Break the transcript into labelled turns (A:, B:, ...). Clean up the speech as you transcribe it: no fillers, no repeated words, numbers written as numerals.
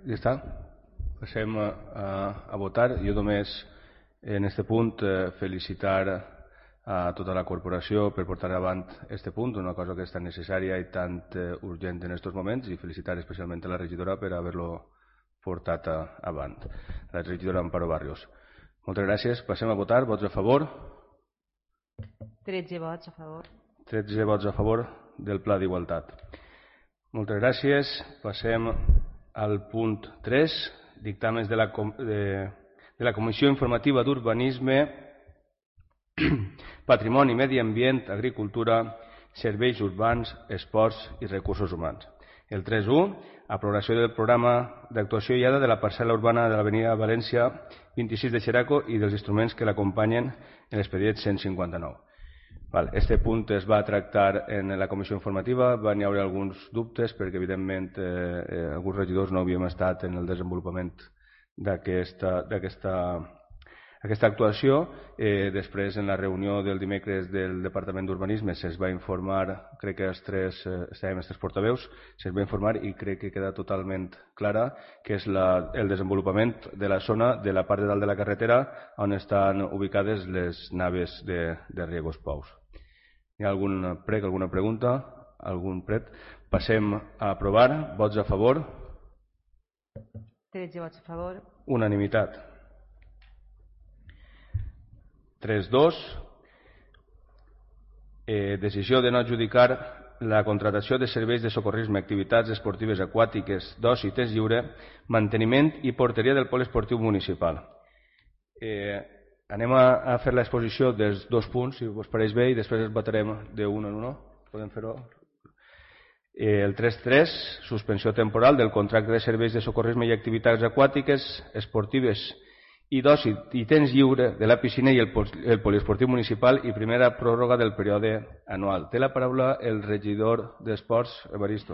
A: Ja està. Passem a votar. Jo només en aquest punt felicitar a tota la corporació per portar avant aquest punt, una cosa que és tan necessària i tan urgent en aquests moments, i felicitar especialment a la regidora per haver-lo portat avant, la regidora Amparo Barrios. Moltes gràcies. Passem a votar. Vots a favor?
B: 13 vots a favor.
A: 13 vots a favor del Pla d'Igualtat. Moltes gràcies. Passem al punt 3, dictàmens de la Comissió Informativa d'Urbanisme, Patrimoni, Medi Ambient, Agricultura, Serveis Urbans, Esports i Recursos Humans. El 3.1, aprovació del programa d'actuació guiada de la parcel·la urbana de l'avenida València 26 de Xeraco i dels instruments que l'acompanyen en l'expedient 159. Este punt es va tractar en la comissió informativa, van haver alguns dubtes perquè evidentment alguns regidors no havíem estat en el desenvolupament d'aquesta actuació. Després, en la reunió del dimecres del Departament d'Urbanisme, se'ns va informar, crec que estàvem els tres portaveus, se'ns va informar i crec que queda totalment clara que és el desenvolupament de la zona de la part de dalt de la carretera on estan ubicades les naves de riegos pous. Hi ha algun prec, alguna pregunta? Algun pret? Passem a aprovar. Vots a favor?
B: 13 vots a favor.
A: Unanimitat. 3.2. Decisió de no adjudicar la contractació de serveis de socorrisme, activitats esportives aquàtiques, d'oci, temps lliure, manteniment i porteria del pol esportiu municipal. Anem a fer l'exposició dels dos punts, si us pareix bé, i després els votarem d'un en un. Podem fer-ho? El 3.3, suspensió temporal del contracte de serveis de socorrisme i activitats aquàtiques, esportives i d'oci i temps lliure de la piscina i el poliesportiu municipal i primera pròrroga del període anual. Té la paraula el regidor d'Esports, Evaristo.